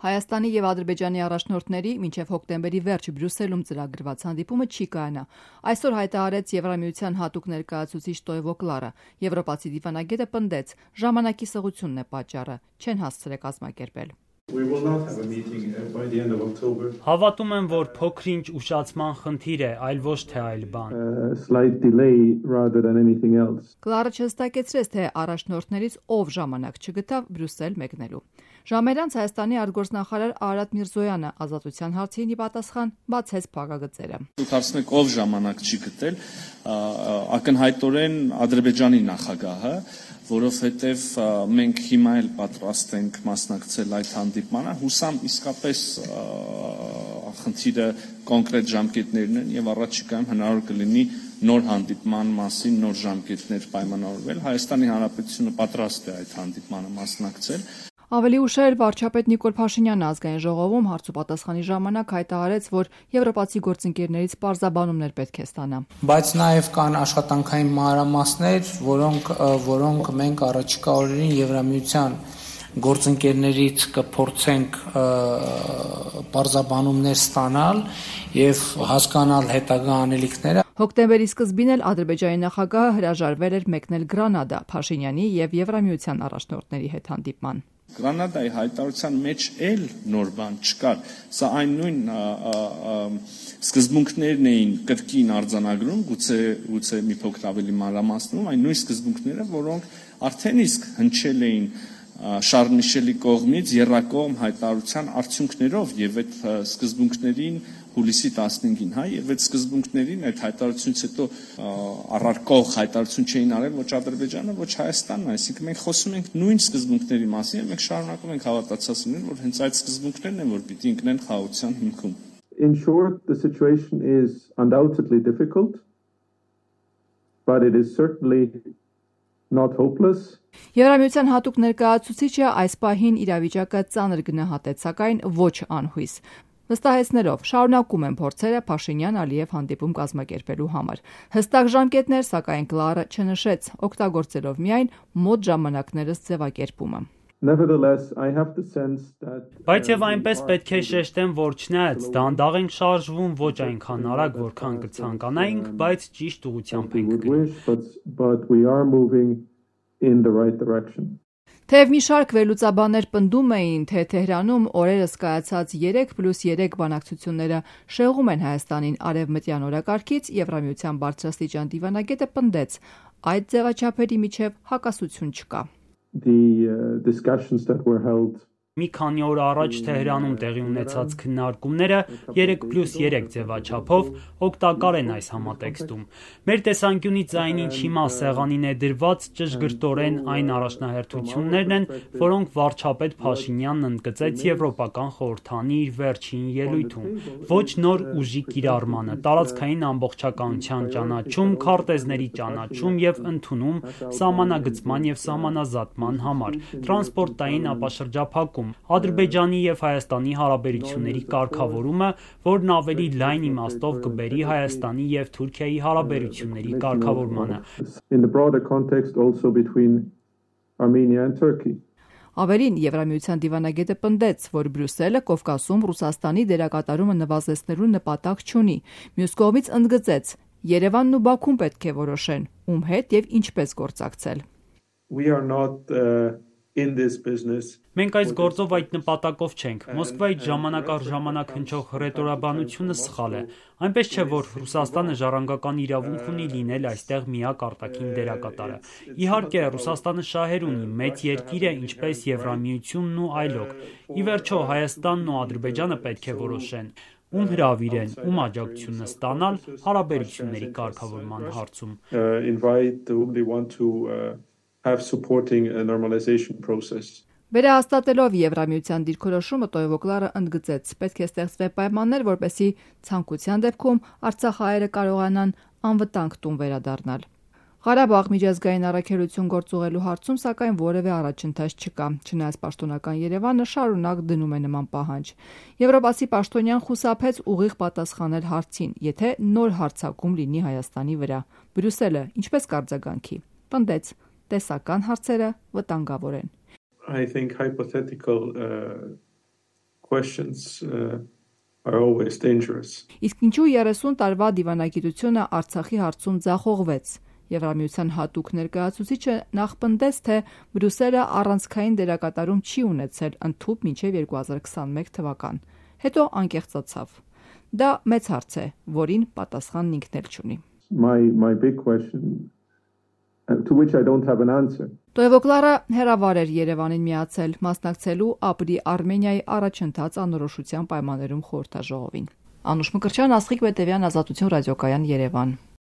Հայաստանի եւ Ադրբեջանի առաջնորդների մինչեւ հոկտեմբերի վերջ Բրյուսելում ծրագրված հանդիպումը չի կայանա։ Այսօր հայտարարեց Եվրամիության հատուկ ներկայացուցիչ Տոյվո Կլարը։ Եվրոպացի դիվանագետը պնդեց, ժամանակի սղությունն է պատճառը, չեն հասցրել կազմակերպել։ Հավատում եմ, որ փոքր-ինչ ուշացման խնդիր է, այլ ոչ թե այլ բան։ Կլարը չհստակեցրեց, թե առաջնորդներից ով ժամանակ չգտավ Բրյուսել մեկնելու։ Ժամեր անց Հայաստանի արտգործնախարար Արարատ Միրզոյանը ազատության հարցին ի պատասխան բացեց փակագծերը։ Դուք հարցնում եք ով ժամանակ չի գտել, ակնհայտորեն Ադրբեջանի նախագահը, որովհետև մենք հիմա էլ պատրաստ ենք մասնակցել այդ հանդիպմանը, հուսամ իսկապես խնդիրը կոնկրետ ժամկետներն են եւ առաջիկայում հնարավոր կլինի նոր հանդիպման մասին նոր ժամկետներ պայմանավորվել։ Հայաստանի Հանրապետությունը պատրաստ է այդ հանդիպմանը մասնակցել։ Ավելի ուշ էր վարչապետ Նիկոլ Փաշինյանը ազգային ժողովում հարց ու պատասխանի ժամանակ հայտարարեց, որ եվրոպացի գործընկերներից պարզաբանումներ պետք է ստանա։ Բայց նաև կան աշխատանքային մանրամասներ, որոնք մենք առաջիկա օրերին Եվրամիության գործընկերներից կփորձենք պարզաբանումներ ստանալ եւ հասկանալ հետագա անելիքները։ Հոկտեմբերի սկզբին էլ Ադրբեջանի նախագահը հրաժարվել էր մեկնել Գրանադա Փաշինյանի եւ Եվրամիության առաջնորդների հետ հանդիպման։ Գրանադայի հայտարարության մեջ էլ նոր բան չկար։ Սա այն նույն սկզբունքներն էին կրկին արձանագրում, գուցե մի փոքր ավելի մանրամասնում, այն նույն սկզբունքները, որոնք արդեն իսկ հնչել էին Շարլ Միշելի կողմից եռակողմ հայտարարության արդյունքներով եւ այդ սկզբունքներին հուլիսի 15-ին, եւ այդ սկզբունքներին այդ հայտարարությունից հետո առարկող հայտարարություն չէին արել ոչ Ադրբեջանը, ոչ Հայաստանն, այսինքն մենք խոսում ենք նույն սկզբունքների մասին եւ մենք շարունակում ենք հավատացած լինել, որ հենց այդ սկզբունքներն են, որ պիտի ընկնեն խաղաղության հիմքում։ In short, the situation is undoubtedly difficult, but it is certainly not hopeless. Եվրամիության հատուկ ներկայացուցիչը այս պահին իրավիճակը ծանր գնահատեց, սակայն ոչ անհույս։ Վստահեցնելով շարունակում են փորձերը Փաշինյան-Ալիև հանդիպում կազմակերպելու համար։ Հստակ ժամկետներ, սակայն Կլարը չնշեց, օգտագործելով միայն մոտ ժամանակներս ձևակերպումը։ Բայց եւ այնպես պետք է շեշտեմ, որ չնայած դանդաղ ենք շարժվում, ոչ այնքան արագ, որքան կցանկանայինք, բայց ճիշտ ուղղությամբ ենք գնում։ Թեև մի շարք վերլուծաբաններ պնդում էին, թե Թեհրանում օրերս կայացած 3+3 բանակցությունները շեղում են Հայաստանին արևմտյան օրակարգից, Եվրամիության բարձրաստիճան դիվանագետը պնդեց, այդ ձևաչափերի միջև հակասություն չկա։ Մի քանի օր առաջ Թեհրանում տեղի ունեցած քննարկումները 3+3 ձևաչափով օգտակար են այս համատեքստում։ Մեր տեսանկյունից այնինչ հիմա սեղանին է դրված ճշգրտորեն այն առաջնահերթություններն են, որոնք վարչապետ Փաշինյանն ընդգծեց Եվրոպական խորհրդանի իր վերջին ելույթում։ Ոչ նոր ուժի կիրառմանը, տարածքային ամբողջականության ճանաչում, քարտեզների ճանաչում եւ ընդունում, սահմանագծման եւ սահմանազատման համար, տրանսպորտային ապաշրջափակում, Ադրբեջանի եւ Հայաստանի հարաբերությունների կարգավորումը, որն ավելի լայն իմաստով կբերի Հայաստանի եւ Թուրքիայի հարաբերությունների կարգավորմանը։ Ավելին, Եվրամիության դիվանագետը պնդեց, որ Բրյուսելը Կովկասում Ռուսաստանի դերակատարումը նվազեցնելու նպատակ չունի։ Մյուս կողմից ընդգծեց, Երևանն ու Բաքուն պետք է որոշեն, ում հետ եւ ինչպես գործակցել։ Մենք այս գործով այդ նպատակով չենք։ Մոսկվայից ժամանակ առ ժամանակ հնչող հռետորաբանությունը սխալ է։ Այնպես չէ, որ Ռուսաստանը ժառանգական իրավունք ունի լինել այստեղ միակ արտաքին դերակատարը։ Իհարկե, Ռուսաստանը շահեր ունի, մեծ երկիր է, ինչպես Եվրամիությունն ու այլոք։ Ի վերջո, Հայաստանն ու Ադրբեջանը պետք է որոշեն, ում հրավիրեն, ում աջակցությունը ստանալ հարաբերությունների կարգավորման հարցում։ Վերահաստատելով Եվրամիության դիրքորոշումը Տոյվո Կլարը ընդգծեց, պետք է ստեղծվեն պայմաններ, որպեսզի ցանկության դեպքում արցախահայերը կարողանան անվտանգ տուն վերադառնալ։ Ղարաբաղ միջազգային առաքելություն գործուղելու հարցում սակայն որևէ առաջընթաց չկա, չնայած պաշտոնական Երևանը շարունակ դնում է նման պահանջ։ Եվրոպացի պաշտոնյան խուսափեց ուղիղ պատասխանել հարցին, եթե նոր հարձակում լինի Հայաստանի վրա։ Բրյուսելը ինչպես կարձագանքի։ Պնդեց, տեսական հարցերը վտանգավոր են։ I think hypothetical questions are always dangerous. Իսկ ինչու 30 տարվա դիվանագիտությունը Արցախի հարցում ձախողվեց։ Եվրամիության հատուկ ներկայացուցիչը նախպնդեց, թե Բրյուսելը առանցքային դերակատարում չի ունեցել ընդհուպ մինչև 2021 թվական։ Հետո անկեղծացավ։ Դա մեծ հարց է, որին պատասխանն ինքն էլ չունի։ My big question to which I don't have an answer. Տոևոկլարը հերավար էր Երևանին միացել, մասնակցելու ապրի Արմենիայի առաջընթաց անորոշության պայմաններում խորհրդաժողովին։ Անուշ Մկրտչյան, Աստղիկ Պետևյան, Ազատություն ռադիոկայան, Երևան։